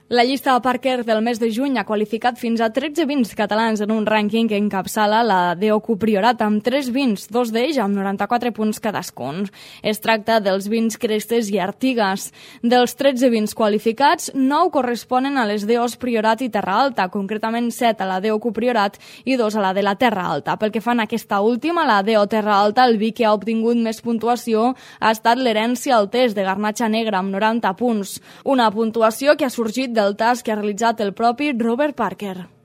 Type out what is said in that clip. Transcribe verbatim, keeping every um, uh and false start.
La llista de Parker del mes de juny ha qualificat fins a tretze vins catalans en un rànquing que encapçala la D O Q Priorat amb tres vins, dos d'ells amb noranta-quatre punts cadascun. Es tracta dels vins Crestes i Artigues. Dels tretze vins qualificats, nou corresponen a les D Os Priorat i Terra Alta, concretament set a la D O Q Priorat i dos a la de la Terra Alta. Pel que fa en aquesta última, la D O Terra Alta, el vi que ha obtingut més puntuació ha estat l'Herència Altés de Garnatxa Negra amb noranta punts. Una puntuació que ha sorgit del tast que ha realitzat el propi Robert Parker.